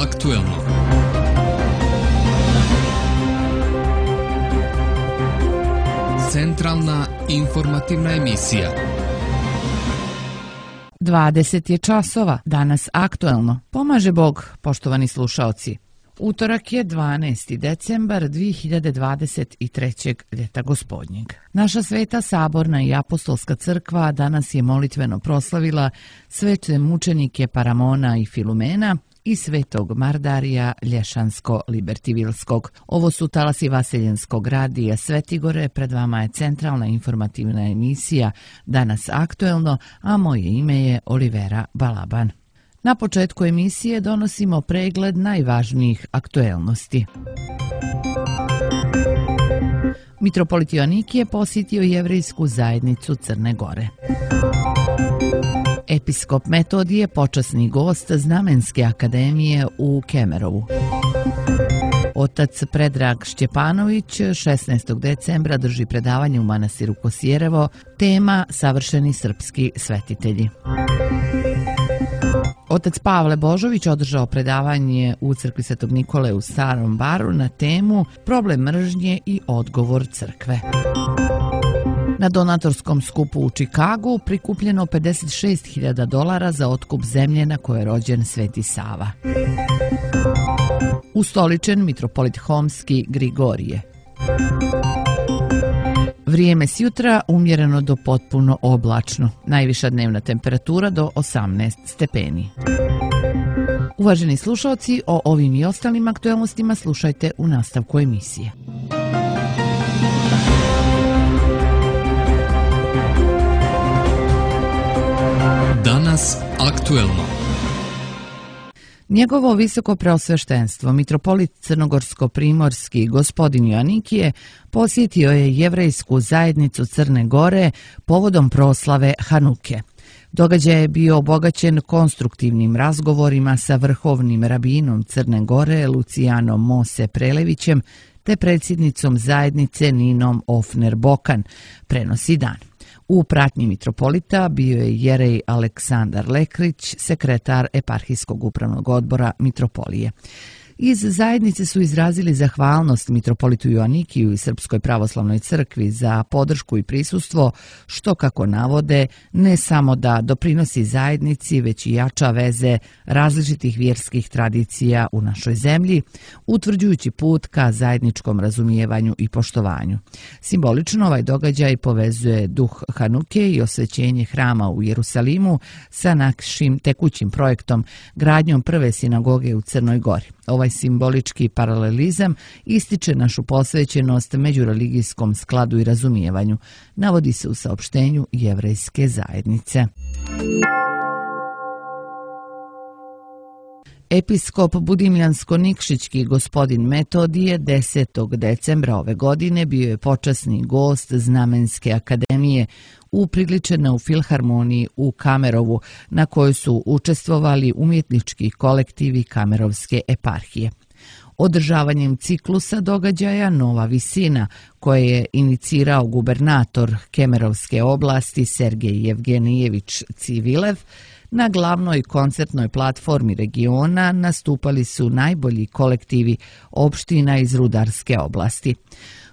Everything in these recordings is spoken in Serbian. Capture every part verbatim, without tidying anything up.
aktuelno. Centralna informativna emisija. dvadeset je časova, danas aktuelno. Pomaže Bog, poštovani slušaoci. Utorak je dvanaesti decembar dve hiljade dvadeset trećeg. ljeta gospodnjeg. Naša Sveta Saborna i Apostolska crkva danas je molitveno proslavila svete mučenike Paramona i Filumena i svetog Mardarija Lješansko-Libertivilskog. Ovo su talasi Vaseljenskog radija Svetigore, pred vama je centralna informativna emisija Danas aktuelno, a moje ime je Olivera Balaban. Na početku emisije donosimo pregled najvažnijih aktuelnosti. Mitropolit Joanikije posjetio jevrejsku zajednicu Crne Gore. Episkop Metodije počasni gost Znamenske akademije u Kemerovu. Otac Predrag Šćepanović šesnaestog decembra drži predavanje u manastiru Kosjerevo, tema Savršeni srpski svetitelji. Otac Pavle Božović održao predavanje u crkvi Svetog Nikole u Starom Baru na temu Problem mržnje i odgovor crkve. Na donatorskom skupu u Čikagu prikupljeno pedeset šest hiljada dolara za otkup zemlje na kojoj je rođen Sveti Sava. Ustoličen mitropolit Homski Grigorije. Vrijeme s jutra umjereno do potpuno oblačno. Najviša dnevna temperatura do osamnaest stepeni. Uvaženi slušalci, o ovim i ostalim aktuelnostima slušajte u nastavku emisije. Danas aktuelno. Njegovo visoko preosveštenstvo, mitropolit Crnogorsko-primorski gospodin Joanikije, posjetio je jevrejsku zajednicu Crne Gore povodom proslave Hanuke. Događaj je bio obogaćen konstruktivnim razgovorima sa vrhovnim rabinom Crne Gore Lucijanom Mose Prelevićem te predsjednicom zajednice Ninom Ofner Bokan, prenosi Dan. U pratnji mitropolita bio je jerej Aleksandar Lekrić, sekretar eparhijskog upravnog odbora mitropolije. Iz zajednice su izrazili zahvalnost mitropolitu Joanikiju i Srpskoj pravoslavnoj crkvi za podršku i prisustvo, što, kako navode, ne samo da doprinosi zajednici, već i jača veze različitih vjerskih tradicija u našoj zemlji, utvrđujući put ka zajedničkom razumijevanju i poštovanju. Simbolično ovaj događaj povezuje duh Hanuke i osvećenje hrama u Jerusalimu sa našim tekućim projektom gradnjom prve sinagoge u Crnoj Gori. Ovaj simbolički paralelizam ističe našu posvećenost međureligijskom skladu i razumijevanju, navodi se u saopštenju jevrejske zajednice. Episkop Budimljansko-Nikšićki gospodin Metodije desetog decembra ove godine bio je počasni gost Znamenske akademije upriličena u Filharmoniji u Kamerovu, na kojoj su učestvovali umjetnički kolektivi Kamerovske eparhije. Održavanjem ciklusa događaja Nova visina, koje je inicirao gubernator Kemerovske oblasti Sergej Jevgenijević Civilev, na glavnoj koncertnoj platformi regiona nastupali su najbolji kolektivi opština iz Rudarske oblasti.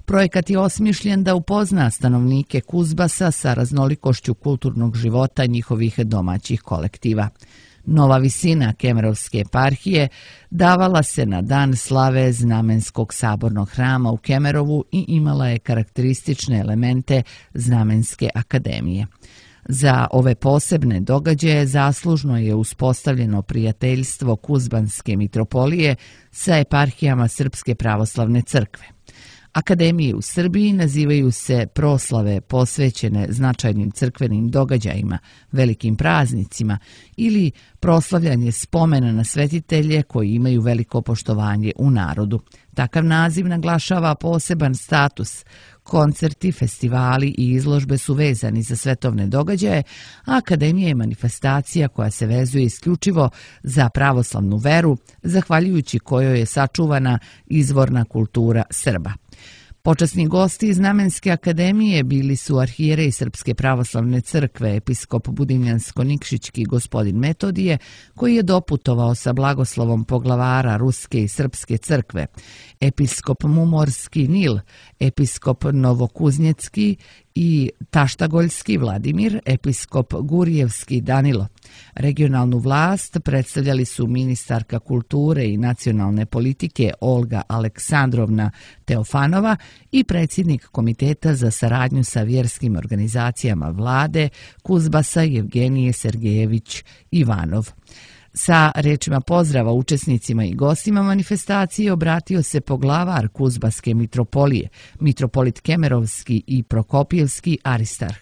Projekat je osmišljen da upozna stanovnike Kuzbasa sa raznolikošću kulturnog života njihovih domaćih kolektiva. Nova visina Kemerovske eparhije davala se na dan slave Znamenskog sabornog hrama u Kemerovu i imala je karakteristične elemente Znamenske akademije. Za ove posebne događaje zaslužno je uspostavljeno prijateljstvo Kuzbanske mitropolije sa eparhijama Srpske pravoslavne crkve. Akademije u Srbiji nazivaju se proslave posvećene značajnim crkvenim događajima, velikim praznicima ili proslavljanje spomena na svetitelje koji imaju veliko poštovanje u narodu. Takav naziv naglašava poseban status. Koncerti, festivali i izložbe su vezani za svetovne događaje, a akademija je manifestacija koja se vezuje isključivo za pravoslavnu veru, zahvaljujući kojoj je sačuvana izvorna kultura Srba. Počasni gosti iz Znamenske akademije bili su arhijerej Srpske pravoslavne crkve, episkop Budimljansko-Nikšićki gospodin Metodije, koji je doputovao sa blagoslovom poglavara Ruske i Srpske crkve, episkop Mumorski Nil, episkop Novokuznjecki i Taštagoljski Vladimir, episkop Gurijevski Danilo. Regionalnu vlast predstavljali su ministarka kulture i nacionalne politike Olga Aleksandrovna Teofanova i predsjednik Komiteta za saradnju sa vjerskim organizacijama vlade Kuzbasa Jevgenije Sergejević Ivanov. Sa rečima pozdrava učesnicima i gostima manifestacije obratio se poglavar Kuzbaske mitropolije, mitropolit Kemerovski i Prokopijevski Aristarh.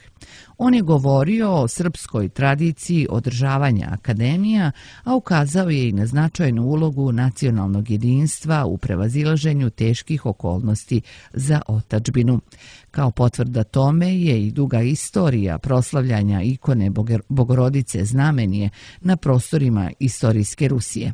On je govorio o srpskoj tradiciji održavanja akademija, a ukazao je i na značajnu ulogu nacionalnog jedinstva u prevazilaženju teških okolnosti za otadžbinu. Kao potvrda tome je i duga istorija proslavljanja ikone Bogorodice Znamenje na prostorima istorijske Rusije.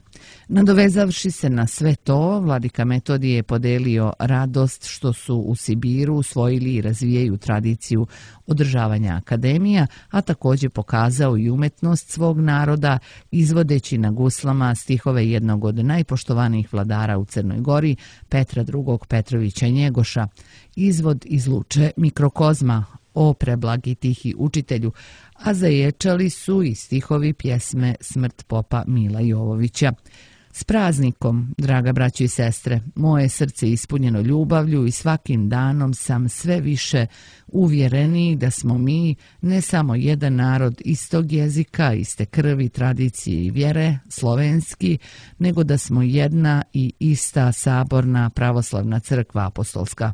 Nadovezavši se na sve to, vladika Metodije je podelio radost što su u Sibiru usvojili i razvijaju tradiciju održavanja akademija, a također pokazao i umetnost svog naroda izvodeći na guslama stihove jednog od najpoštovanijih vladara u Crnoj Gori, Petra drugog Petrovića Njegoša, izvod iz Luče Mikrokozma, o preblagi tihi učitelju, a zaječali su i stihovi pjesme Smrt popa Mila Jovovića. S praznikom, draga braćo i sestre, moje srce je ispunjeno ljubavlju i svakim danom sam sve više uvjereniji da smo mi ne samo jedan narod istog jezika, iste krvi, tradicije i vjere, slovenski, nego da smo jedna i ista saborna pravoslavna crkva apostolska.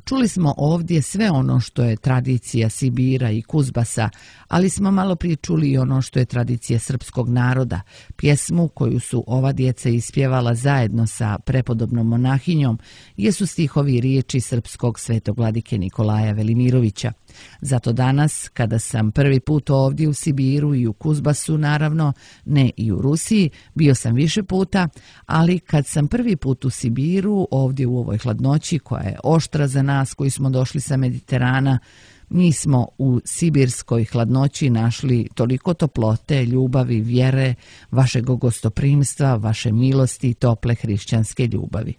Čuli smo ovdje sve ono što je tradicija Sibira i Kuzbasa, ali smo malo prije čuli i ono što je tradicija srpskog naroda, pjesmu koju su ova djeca ispjevala zajedno sa prepodobnom monahinjom, jesu stihovi riječi srpskog svetog vladike Nikolaja Velimirovića. Zato danas, kada sam prvi put ovdje u Sibiru i u Kuzbasu, naravno, ne i u Rusiji, bio sam više puta, ali kad sam prvi put u Sibiru, ovdje u ovoj hladnoći koja je oštra za nas koji smo došli sa Mediterana, mi smo u sibirskoj hladnoći našli toliko toplote, ljubavi, vjere, vašeg gostoprimstva, vaše milosti i tople hrišćanske ljubavi.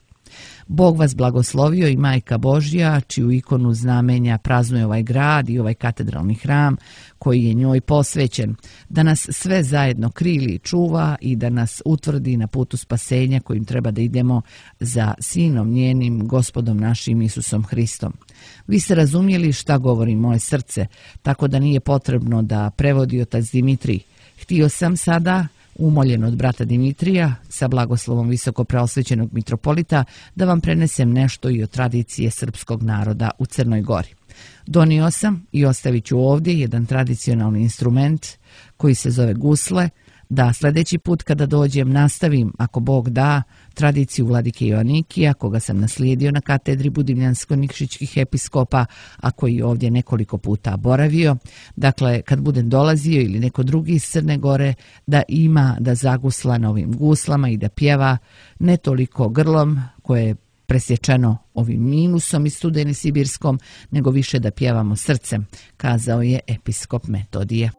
Bog vas blagoslovio i Majka Božja, čiju ikonu znamenja praznuje ovaj grad i ovaj katedralni hram koji je njoj posvećen, da nas sve zajedno krili i čuva i da nas utvrdi na putu spasenja kojim treba da idemo za Sinom njenim, Gospodom našim Isusom Hristom. Vi ste razumjeli šta govori moje srce, tako da nije potrebno da prevodi otac Dimitrij. Htio sam sada, umoljen od brata Dimitrija, sa blagoslovom visokopreosvećenog mitropolita, da vam prenesem nešto i o tradicije srpskog naroda u Crnoj Gori. Donio sam i ostavit ću ovdje jedan tradicionalni instrument koji se zove gusle, da sljedeći put kada dođem nastavim, ako Bog da, tradiciju vladike Joanikija, koga sam naslijedio na katedri Budimljansko-Nikšićkih episkopa, a koji ovdje nekoliko puta boravio. Dakle, kad budem dolazio ili neko drugi iz Crne Gore, da ima da zagusla na ovim guslama i da pjeva ne toliko grlom koje je presječeno ovim minusom i studeni sibirskom, nego više da pjevamo srcem, kazao je episkop Metodije.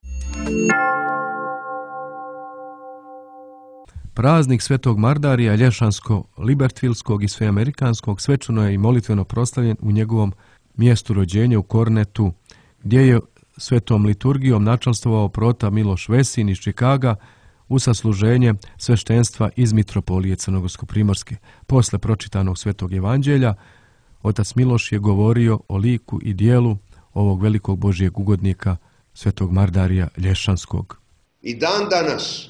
Praznik Svetog Mardarija Lješansko-Libertvilskog i Sveamerikanskog svečano je i molitveno proslavljen u njegovom mjestu rođenja u Kornetu, gdje je svetom liturgijom načalstvovao prota Miloš Vesin iz Čikaga u sasluženje sveštenstva iz mitropolije Crnogorsko-primorske. Posle pročitanog Svetog evanđelja, otac Miloš je govorio o liku i dijelu ovog velikog Božijeg ugodnika Svetog Mardarija Lješanskog. I dan danas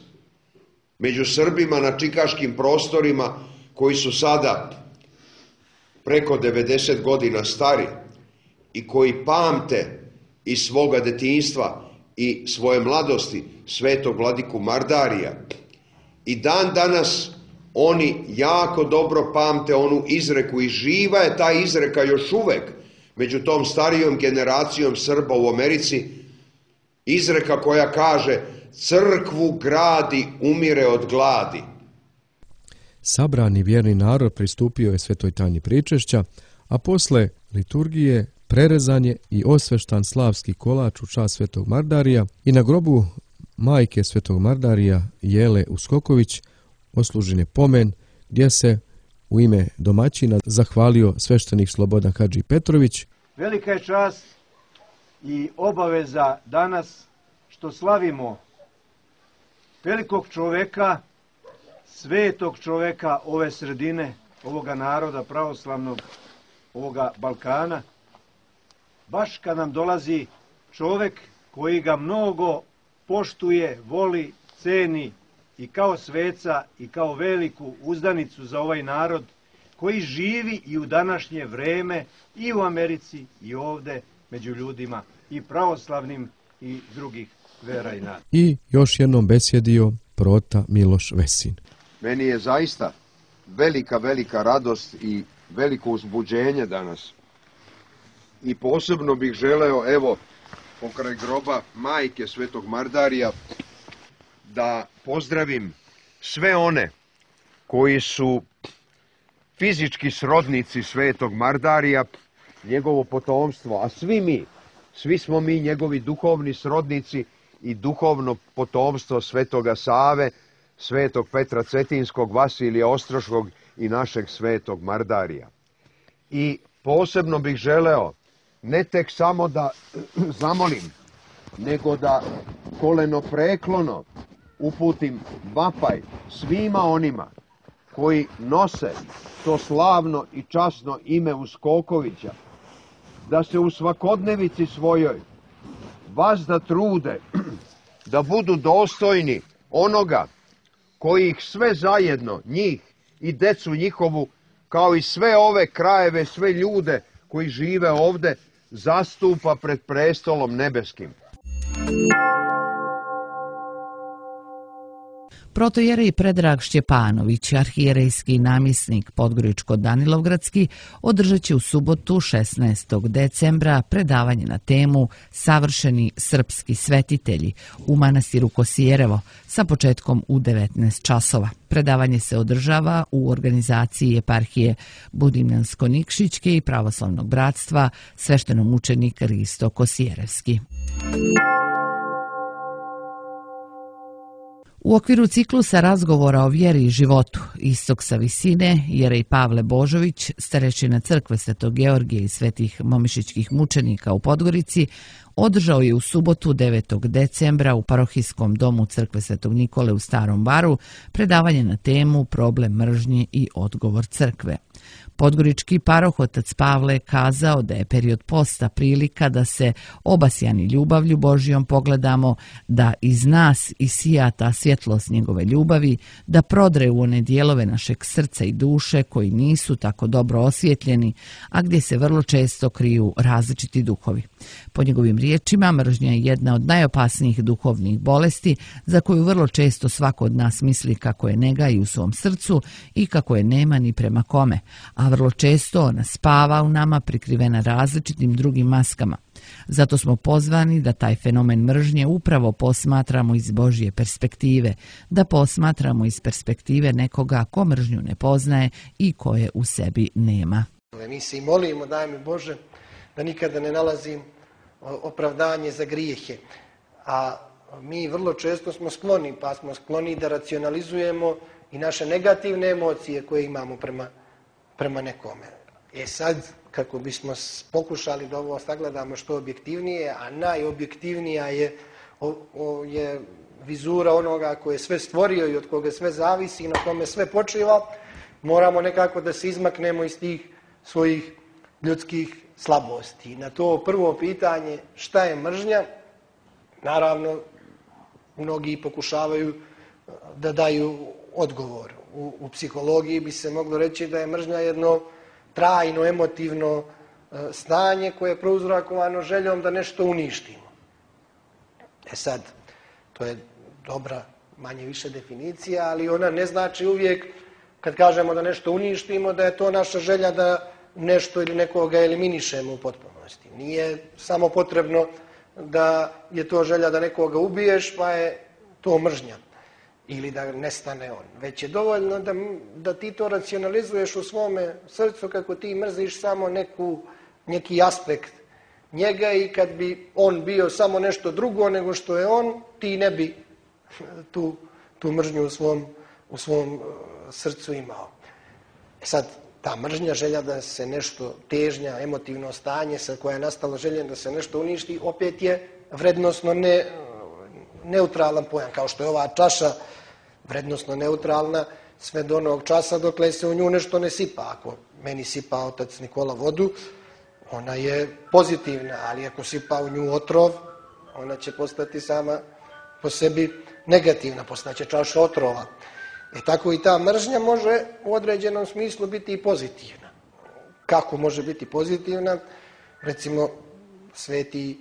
među Srbima na čikaškim prostorima koji su sada preko devedeset godina stari i koji pamte iz svoga detinjstva i svoje mladosti svetog vladiku Mardarija, i dan danas oni jako dobro pamte onu izreku i živa je ta izreka još uvek među tom starijom generacijom Srba u Americi, izreka koja kaže: crkvu gradi, umire od gladi. Sabrani vjerni narod pristupio je svetoj tajni pričešća, a posle liturgije prerezan je i osveštan slavski kolač u čast Svetog Mardarija i na grobu majke Svetog Mardarija Jele Uskoković oslužen je pomen gdje se u ime domaćina zahvalio sveštenik Slobodan Hadži Petrović. Velika je čast i obaveza danas što slavimo velikog čoveka, svetog čoveka ove sredine, ovoga naroda pravoslavnog, ovoga Balkana, baš kad nam dolazi čovek koji ga mnogo poštuje, voli, ceni i kao sveca i kao veliku uzdanicu za ovaj narod koji živi i u današnje vreme i u Americi i ovde među ljudima i pravoslavnim i drugih vera i nada. I još jednom besjedio prota Miloš Vesin. Meni je zaista velika, velika radost i veliko uzbuđenje danas. I posebno bih želeo, evo, pokraj groba majke Svetog Mardarija, da pozdravim sve one koji su fizički srodnici Svetog Mardarija, njegovo potomstvo, a svi mi, svi smo mi njegovi duhovni srodnici i duhovno potomstvo Svetoga Save, Svetog Petra Cetinskog, Vasilija Ostroškog i našeg Svetog Mardarija. I posebno bih želeo ne tek samo da zamolim, nego da kolenopreklono uputim vapaj svima onima koji nose to slavno i časno ime Uskokovića, da se u svakodnevici svojoj vazda trude da budu dostojni onoga koji ih sve zajedno, njih i decu njihovu, kao i sve ove krajeve, sve ljude koji žive ovde, zastupa pred prestolom nebeskim. Protojerej Predrag Šćepanović, arhijerejski namjesnik Podgoričko-Danilovgradski, održat će u subotu šesnaestog decembra predavanje na temu Savršeni srpski svetitelji u manastiru Kosijerevo sa početkom u devetnaest časova. Predavanje se održava u organizaciji eparhije Budimljansko-Nikšićke i pravoslavnog bratstva sveštenomučenik Risto Kosijerevski. U okviru ciklusa razgovora o vjeri i životu Istok sa visine, jerej Pavle Božović, starešina crkve Svetog Georgija i svetih momišićkih mučenika u Podgorici, održao je u subotu devetog decembra u parohijskom domu crkve Svetog Nikole u Starom Baru predavanje na temu Problem mržnje i odgovor crkve. Podgorički paroh otac Pavle kazao da je period posta prilika da se obasjani ljubavlju Božijom pogledamo, da iz nas isija ta svjetlost njegove ljubavi, da prodre u one dijelove našeg srca i duše koji nisu tako dobro osvjetljeni, a gdje se vrlo često kriju različiti duhovi. Po njegovim riječima, mržnja je jedna od najopasnijih duhovnih bolesti za koju vrlo često svako od nas misli kako je nega i u svom srcu i kako je nema ni prema kome, a vrlo često ona spava u nama prikrivena različitim drugim maskama. Zato smo pozvani da taj fenomen mržnje upravo posmatramo iz Božje perspektive, da posmatramo iz perspektive nekoga ko mržnju ne poznaje i koje u sebi nema. Mi se i molimo, daj mi Bože, da nikada ne nalazim opravdanje za grijehe. A mi vrlo često smo skloni, pa smo skloni da racionalizujemo i naše negativne emocije koje imamo prema, prema nekome. E sad, kako bismo pokušali da ovo sagledamo što objektivnije, a najobjektivnija je, o, o, je vizura onoga koje je sve stvorio i od koga sve zavisi i na kome sve počiva, moramo nekako da se izmaknemo iz tih svojih ljudskih slabosti. Na to prvo pitanje, šta je mržnja, naravno, mnogi pokušavaju da daju odgovor. U, u psihologiji bi se moglo reći da je mržnja jedno trajno, emotivno stanje koje je prouzrokovano željom da nešto uništimo. E sad, to je dobra, manje više definicija, ali ona ne znači uvijek, kad kažemo da nešto uništimo, da je to naša želja da nešto ili nekoga eliminišemo u potpunosti. Nije samo potrebno da je to želja da nekoga ubiješ, pa je to mržnja. ili da nestane on. Već je dovoljno da, da ti to racionalizuješ u svome srcu kako ti mrziš samo neku, neki aspekt njega i kad bi on bio samo nešto drugo nego što je on, ti ne bi tu, tu mržnju u svom, u svom srcu imao. E sad, ta mržnja, želja da se nešto, težnja, emotivno stanje sa koja je nastalo željem da se nešto uništi, opet je vrednosno ne, neutralan pojam, kao što je ova čaša vrednosno neutralna sve do onog časa dokle se u nju nešto ne sipa. Ako meni sipa otac Nikola vodu, ona je pozitivna, ali ako sipa u nju otrov, ona će postati sama po sebi negativna, postaće čaša otrova. E tako i ta mržnja može u određenom smislu biti i pozitivna. Kako može biti pozitivna? Recimo, sveti e,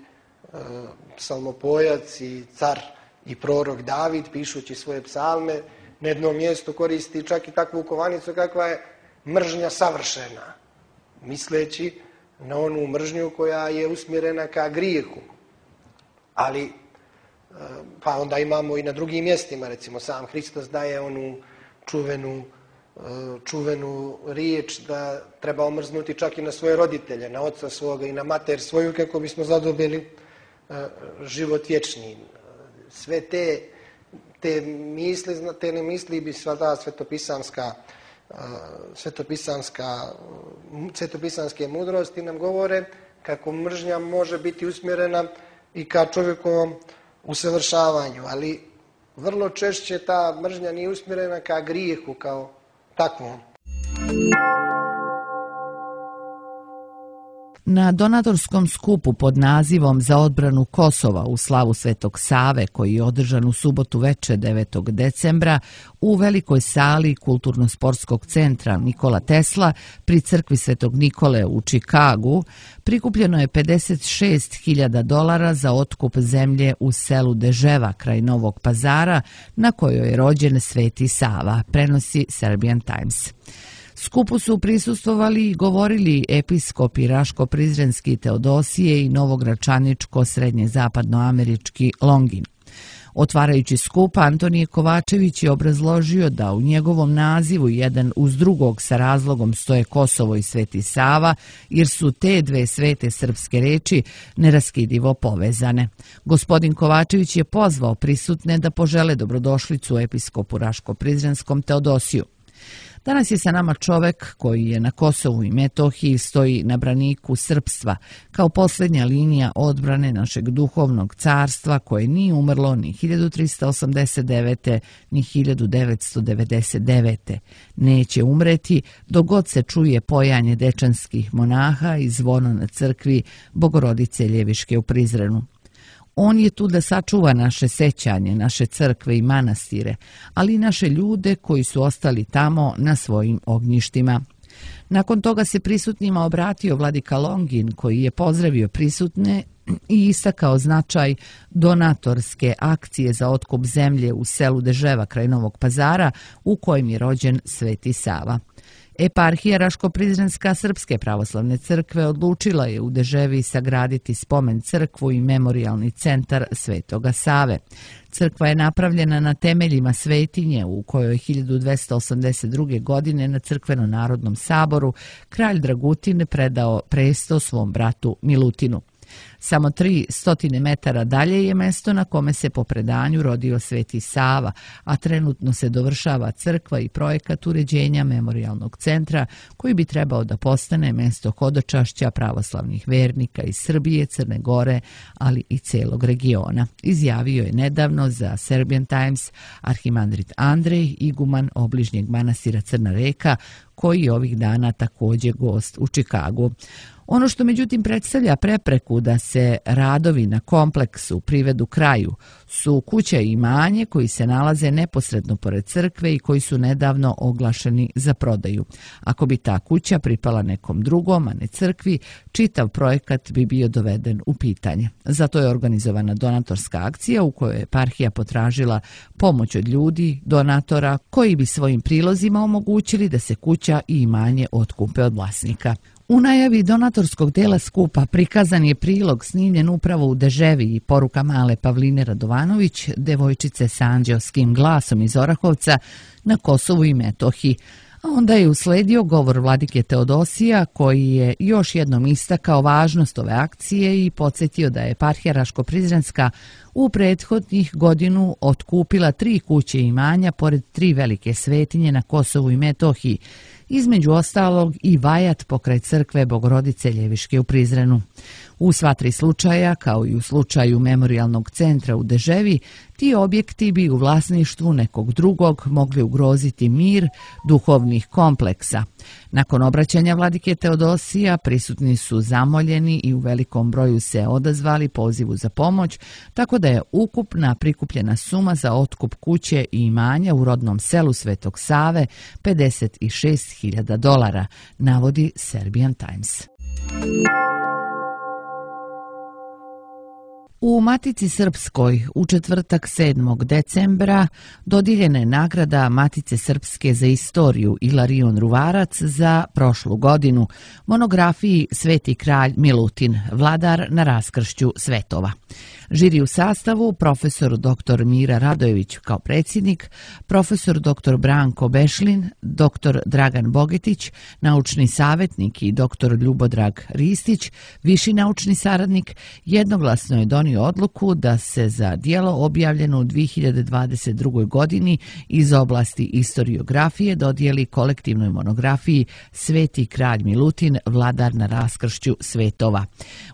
psalmopojac i car i prorok David, pišući svoje psalme, na jednom mjestu koristi čak i takvu kovanicu kakva je mržnja savršena, misleći na onu mržnju koja je usmjerena ka grijehu. Ali, pa onda imamo i na drugim mjestima, recimo sam Hristos daje onu čuvenu, čuvenu riječ da treba omrznuti čak i na svoje roditelje, na oca svoga i na mater svoju, kako bismo zadobili život vječni. Sve te, te misli, te ne misli bi sva ta svetopisanska, svetopisanska, svetopisanske mudrosti nam govore kako mržnja može biti usmjerena i ka čovjekovom usavršavanju, ali vrlo češće ta mržnja nije usmjerena ka grijehu kao takvom. Na donatorskom skupu pod nazivom Za odbranu Kosova u slavu Svetog Save, koji je održan u subotu veče devetog decembra u velikoj sali Kulturno-sportskog centra Nikola Tesla pri crkvi Svetog Nikole u Čikagu, prikupljeno je pedeset šest hiljada dolara za otkup zemlje u selu Deževa kraj Novog Pazara, na kojoj je rođen Sveti Sava, prenosi Serbian Times. Skupu su prisustvovali i govorili episkopi Raško-Prizrenski Teodosije i Novogračaničko-srednje-zapadnoamerički Longin. Otvarajući skup, Antonije Kovačević je obrazložio da u njegovom nazivu jedan uz drugog sa razlogom stoje Kosovo i Sveti Sava, jer su te dve svete srpske reči neraskidivo povezane. Gospodin Kovačević je pozvao prisutne da požele dobrodošlicu episkopu Raško-Prizrenskom Teodosiju. Danas je sa nama čovek koji je na Kosovu i Metohiji, stoji na braniku srpstva, kao posljednja linija odbrane našeg duhovnog carstva koje nije umrlo ni hiljadu trista osamdeset devete ni hiljadu devetsto devedeset devete. Neće umreti dok god se čuje pojanje dečanskih monaha i zvono na crkvi Bogorodice Ljeviške u Prizrenu. On je tu da sačuva naše sećanje, naše crkve i manastire, ali i naše ljude koji su ostali tamo na svojim ognjištima. Nakon toga se prisutnima obratio vladika Longin, koji je pozdravio prisutne i istakao značaj donatorske akcije za otkup zemlje u selu Deževa kraj Novog Pazara, u kojem je rođen Sveti Sava. Eparhija Raško-Prizrenska Srpske pravoslavne crkve odlučila je u Deževi sagraditi spomen crkvu i memorijalni centar Svetoga Save. Crkva je napravljena na temeljima svetinje u kojoj hiljadu dvesta osamdeset druge. godine na Crkveno-narodnom saboru kralj Dragutin predao presto svom bratu Milutinu. Samo tri stotine metara dalje je mesto na kome se po predanju rodio Sveti Sava, a trenutno se dovršava crkva i projekat uređenja memorijalnog centra koji bi trebao da postane mesto hodočašća pravoslavnih vernika iz Srbije, Crne Gore, ali i celog regiona. Izjavio je nedavno za Serbian Times arhimandrit Andrej, iguman obližnjeg manastira Crna Reka, koji je ovih dana također gost u Čikagu. Ono što međutim predstavlja prepreku da se radovi na kompleksu privedu kraju su kuća i imanje koji se nalaze neposredno pored crkve i koji su nedavno oglašeni za prodaju. Ako bi ta kuća pripala nekom drugom, a ne crkvi, čitav projekat bi bio doveden u pitanje. Zato je organizovana donatorska akcija u kojoj je eparhija potražila pomoć od ljudi, donatora, koji bi svojim prilozima omogućili da se kuća kuća i imanje otkupe od vlasnika. U najavi donatorskog dela skupa prikazan je prilog snimljen upravo u Deževi i poruka male Pavline Radovanović, devojčice sa anđeoskim glasom iz Orahovca na Kosovu i Metohiji. A onda je usledio govor vladike Teodosija koji je još jednom istakao važnost ove akcije i podsjetio da je eparhija Raško-Prizrenska u prethodnih godinu otkupila tri kuće imanja pored tri velike svetinje na Kosovu i Metohiji, između ostalog i vajat pokraj crkve Bogorodice Ljeviške u Prizrenu. U sva tri slučaja, kao i u slučaju memorijalnog centra u Deževi, ti objekti bi u vlasništvu nekog drugog mogli ugroziti mir duhovnih kompleksa. Nakon obraćanja vladike Teodosija prisutni su zamoljeni i u velikom broju se odazvali pozivu za pomoć, tako da je ukupna prikupljena suma za otkup kuće i imanja u rodnom selu Svetog Save pedeset šest hiljada dolara, navodi Serbian Times. U Matici Srpskoj u četvrtak sedmog decembra dodijeljena je nagrada Matice Srpske za istoriju Ilarion Ruvarac za prošlu godinu, monografiji Sveti kralj Milutin, vladar na raskršću svetova. Žiri u sastavu profesor doktor Mira Radojević kao predsjednik, profesor doktor Branko Bešlin, doktor Dragan Bogetić, naučni savjetnik i doktor Ljubodrag Ristić, viši naučni saradnik, jednoglasno je donio odluku da se za djelo objavljeno u dvije hiljade dvadeset drugoj. godini iz oblasti istoriografije dodijeli kolektivnoj monografiji Sveti kralj Milutin, vladar na raskršću svetova,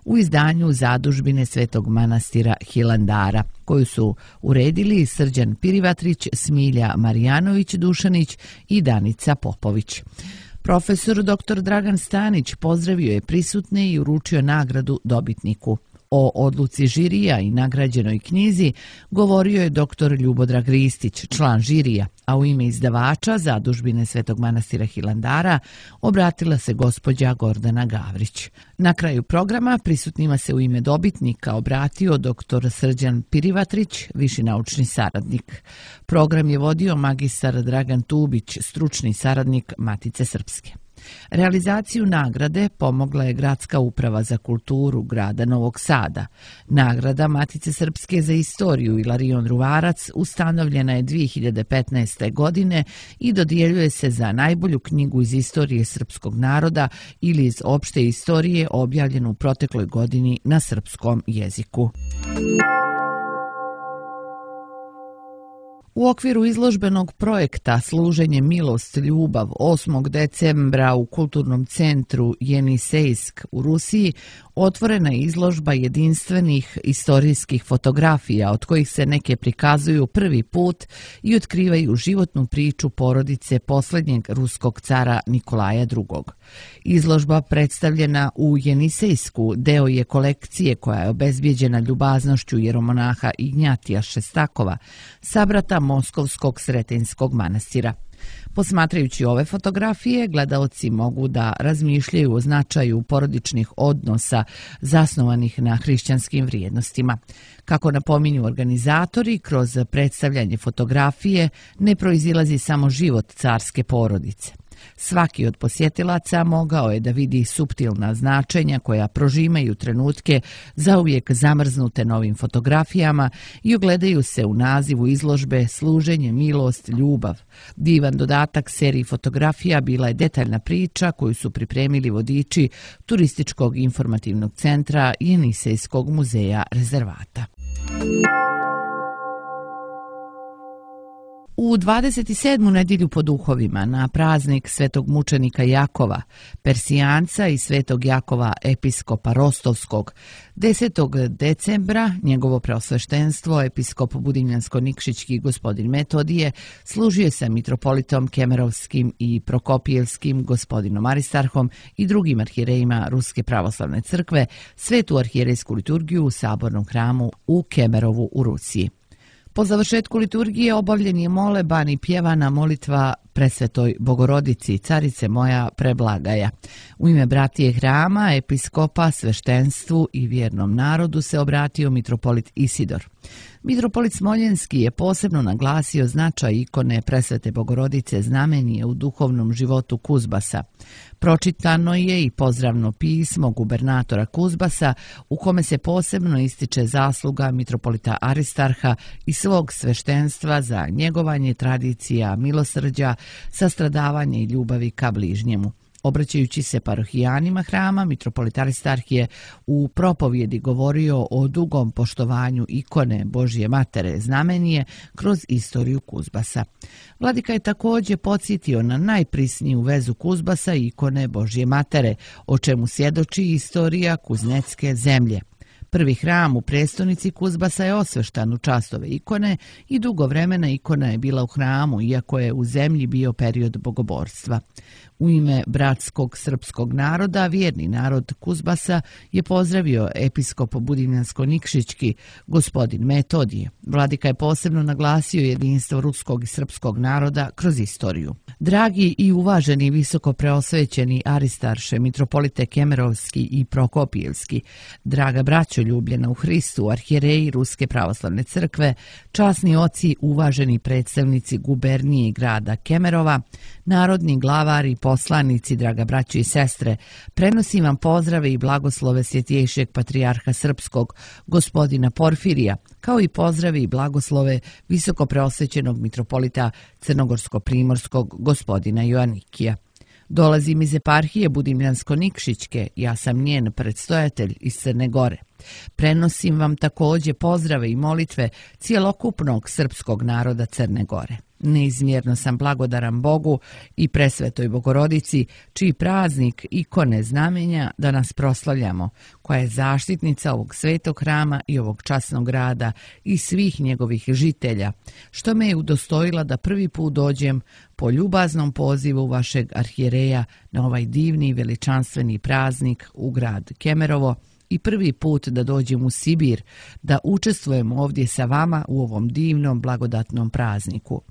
u izdanju Zadužbine Svetog manastira Hilandara, koju su uredili Srđan Pirivatrić, Smilja Marijanović-Dušanić i Danica Popović. Profesor doktor Dragan Stanić pozdravio je prisutne i uručio nagradu dobitniku. O odluci žirija i nagrađenoj knjizi govorio je doktor Ljubodrag Ristić, član žirija, a u ime izdavača Zadužbine Svetog manastira Hilandara obratila se gospođa Gordana Gavrić. Na kraju programa prisutnima se u ime dobitnika obratio doktor Srđan Pirivatrić, viši naučni saradnik. Program je vodio magistar Dragan Tubić, stručni saradnik Matice Srpske. Realizaciju nagrade pomogla je Gradska uprava za kulturu grada Novog Sada. Nagrada Matice Srpske za istoriju Ilarion Ruvarac ustanovljena je dvije hiljade petnaeste. godine i dodjeljuje se za najbolju knjigu iz istorije srpskog naroda ili iz opšte istorije objavljenu u protekloj godini na srpskom jeziku. U okviru izložbenog projekta Služenje milost ljubav osmog decembra u kulturnom centru Jenisejsk u Rusiji otvorena je izložba jedinstvenih istorijskih fotografija, od kojih se neke prikazuju prvi put i otkrivaju životnu priču porodice posljednjeg ruskog cara Nikolaja drugog. Izložba predstavljena u Jenisejsku deo je kolekcije koja je obezbijeđena ljubaznošću jeromonaha Ignjatija Šestakova, sabrata Moskovskog Sretenskog manastira. Posmatrajući ove fotografije, gledaoci mogu da razmišljaju o značaju porodičnih odnosa zasnovanih na hrišćanskim vrijednostima. Kako napominju organizatori, kroz predstavljanje fotografije ne proizilazi samo život carske porodice. Svaki od posjetilaca mogao je da vidi suptilna značenja koja prožimaju trenutke zauvijek zamrznute novim fotografijama i ogledaju se u nazivu izložbe Služenje, milost, ljubav. Divan dodatak seriji fotografija bila je detaljna priča koju su pripremili vodiči Turističkog informativnog centra Jenisejskog muzeja rezervata. U dvadeset sedmu nedjelju po duhovima na praznik svetog mučenika Jakova, Persijanca i svetog Jakova episkopa Rostovskog, desetog decembra njegovo preosveštenstvo episkop Budimljansko-Nikšićki gospodin Metodije služio sa mitropolitom Kemerovskim i Prokopijevskim gospodinom Aristarhom i drugim arhirejima Ruske pravoslavne crkve svetu arhirejsku liturgiju u sabornom hramu u Kemerovu u Rusiji. Po završetku liturgije obavljen je moleban i pjevana molitva Presvetoj Bogorodici, Carice moja preblagaja. U ime bratije hrama, episkopa, sveštenstvu i vjernom narodu se obratio mitropolit Isidor. Mitropolit Smoljenski je posebno naglasio značaj ikone Presvete Bogorodice Znamenje u duhovnom životu Kuzbasa. Pročitano je i pozdravno pismo gubernatora Kuzbasa u kome se posebno ističe zasluga mitropolita Aristarha i svog sveštenstva za njegovanje tradicija milosrđa, sastradavanje i ljubavi ka bližnjemu. Obraćajući se parohijanima hrama, mitropolit Aristarh je u propovjedi govorio o dugom poštovanju ikone Božje Matere Znamenje kroz istoriju Kuzbasa. Vladika je također podsjetio na najprisniju vezu Kuzbasa i ikone Božje Matere, o čemu svjedoči istorija Kuznecke zemlje. Prvi hram u prestonici Kuzbasa je osveštan u čast ove ikone i dugo vremena ikona je bila u hramu, iako je u zemlji bio period bogoborstva. U ime bratskog srpskog naroda, vjerni narod Kuzbasa je pozdravio episkop Budimljansko-Nikšićki, gospodin Metodije. Vladika je posebno naglasio jedinstvo ruskog i srpskog naroda kroz istoriju. Dragi i uvaženi visoko preosvećeni Aristarše, mitropolite Kemerovski i Prokopijevski, draga braćo ljubljena u Hristu, arhijereji Ruske pravoslavne crkve, časni oci, uvaženi predstavnici gubernije i grada Kemerova, narodni glavari, poslanici, draga braćo i sestre, prenosim vam pozdrave i blagoslove svjetjejšeg patrijarha srpskog, gospodina Porfirija, kao i pozdrave i blagoslove visoko preosvećenog mitropolita crnogorsko-primorskog, gospodina Joanikija. Dolazim iz eparhije Budimljansko-Nikšićke, ja sam njen predstojatelj iz Crne Gore. Prenosim vam također pozdrave i molitve cijelokupnog srpskog naroda Crne Gore. Neizmjerno sam blagodaran Bogu i Presvetoj Bogorodici, čiji praznik ikone Znamenja danas proslavljamo, koja je zaštitnica ovog svetog hrama i ovog časnog grada i svih njegovih žitelja, što me je udostojila da prvi put dođem po ljubaznom pozivu vašeg arhijereja na ovaj divni i veličanstveni praznik u grad Kemerovo, i prvi put da dođem u Sibir, da učestvujem ovdje sa vama u ovom divnom blagodatnom prazniku,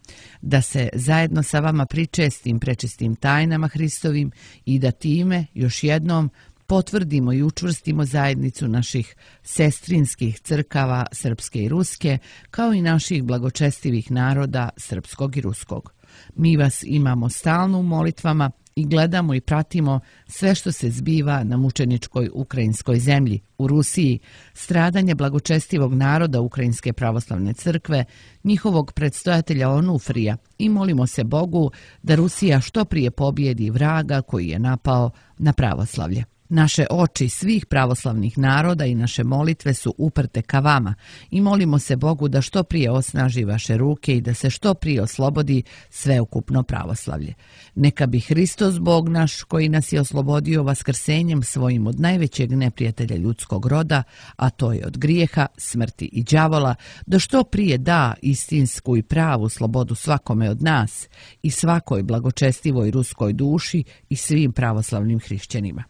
da se zajedno sa vama pričestim prečistim tajnama Hristovim i da time još jednom potvrdimo i učvrstimo zajednicu naših sestrinskih crkava srpske i ruske, kao i naših blagočestivih naroda srpskog i ruskog. Mi vas imamo stalno u molitvama i gledamo i pratimo sve što se zbiva na mučeničkoj ukrajinskoj zemlji, u Rusiji, stradanje blagočestivog naroda Ukrajinske pravoslavne crkve, njihovog predstojatelja Onufrija, i molimo se Bogu da Rusija što prije pobjedi vraga koji je napao na pravoslavlje. Naše oči svih pravoslavnih naroda i naše molitve su uprte ka vama i molimo se Bogu da što prije osnaži vaše ruke i da se što prije oslobodi sveukupno pravoslavlje. Neka bi Hristos Bog naš, koji nas je oslobodio vaskrsenjem svojim od najvećeg neprijatelja ljudskog roda, a to je od grijeha, smrti i đavola, da što prije da istinsku i pravu slobodu svakome od nas i svakoj blagočestivoj ruskoj duši i svim pravoslavnim hrišćanima.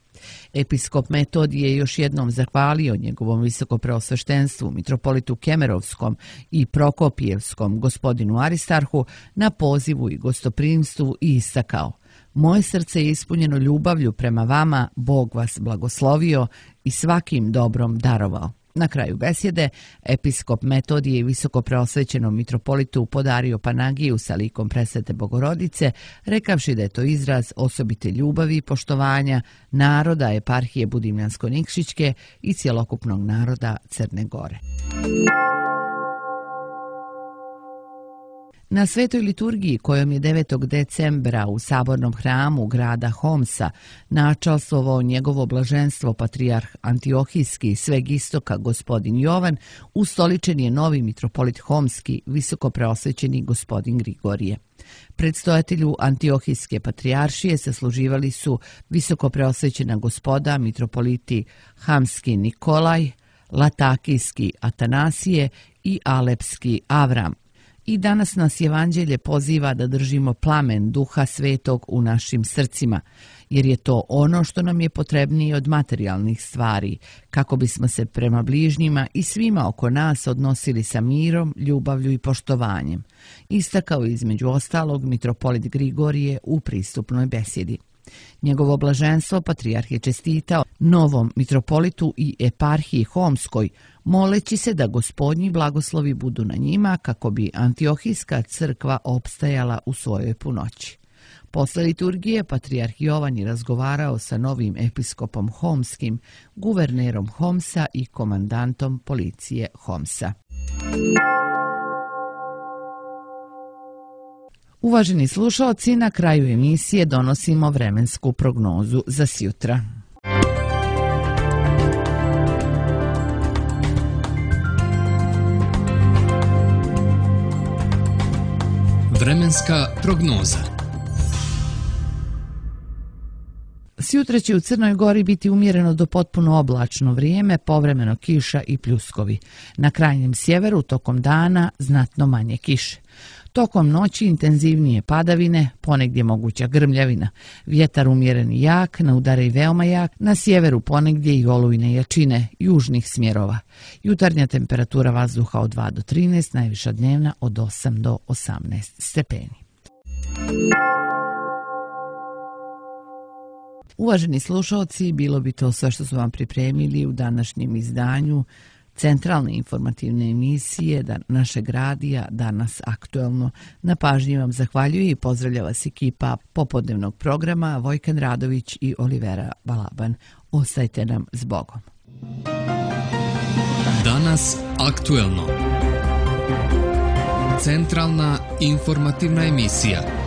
Episkop Metodije je još jednom zahvalio njegovom visokopreosveštenstvu, mitropolitu Kemerovskom i Prokopijevskom, gospodinu Aristarhu, na pozivu i gostoprimstvu i istakao: moje srce je ispunjeno ljubavlju prema vama, Bog vas blagoslovio i svakim dobrom darovao. Na kraju besjede, episkop Metodije i visokopreosvećenom mitropolitu podario Panagiju sa likom Presvete Bogorodice, rekavši da je to izraz osobite ljubavi i poštovanja naroda eparhije Budimljansko-Nikšićke i cjelokupnog naroda Crne Gore. Na svetoj liturgiji kojom je devetog decembra u sabornom hramu grada Homsa načalstvovao njegovo blaženstvo patrijarh Antiohijski sveg istoka gospodin Jovan, ustoličen je novi mitropolit Homski, visokopreosvećeni gospodin Grigorije. Predstojatelju Antiohijske patrijaršije sasluživali su visokopreosvećena gospoda mitropoliti Hamski Nikolaj, Latakijski Atanasije i Alepski Avram. I danas nas Evanđelje poziva da držimo plamen Duha Svetog u našim srcima, jer je to ono što nam je potrebnije od materijalnih stvari, kako bismo se prema bližnjima i svima oko nas odnosili sa mirom, ljubavlju i poštovanjem, istakao između ostalog mitropolit Grigorije u pristupnoj besjedi. Njegovo blaženstvo patrijarh je čestitao novom mitropolitu i eparhiji Homskoj moleći se da Gospodnji blagoslovi budu na njima kako bi Antiohijska crkva opstajala u svojoj punoći. Posle liturgije patrijarh Jovan je razgovarao sa novim episkopom Homskim, guvernerom Homsa i komandantom policije Homsa. Uvaženi slušaoci, na kraju emisije donosimo vremensku prognozu za sjutra. Vremenska prognoza. Sjutra će u Crnoj Gori biti umjereno do potpuno oblačno vrijeme, povremeno kiša i pljuskovi. Na krajnjem sjeveru tokom dana znatno manje kiše. Tokom noći intenzivnije padavine, ponegdje moguća grmljavina. Vjetar umjeren i jak, na udare i veoma jak, na sjeveru ponegdje i olujne jačine, južnih smjerova. Jutarnja temperatura vazduha od dva do trinaest, najviša dnevna od osam do osamnaest stepeni. Uvaženi slušalci, bilo bi to sve što su vam pripremili u današnjem izdanju centralne informativne emisije našeg radija Danas aktuelno. Na pažnji vam zahvaljuje i pozdravlja vas ekipa popodnevnog programa Vojkan Radović i Olivera Balaban. Ostajte nam s Bogom. Danas aktuelno. Centralna informativna emisija.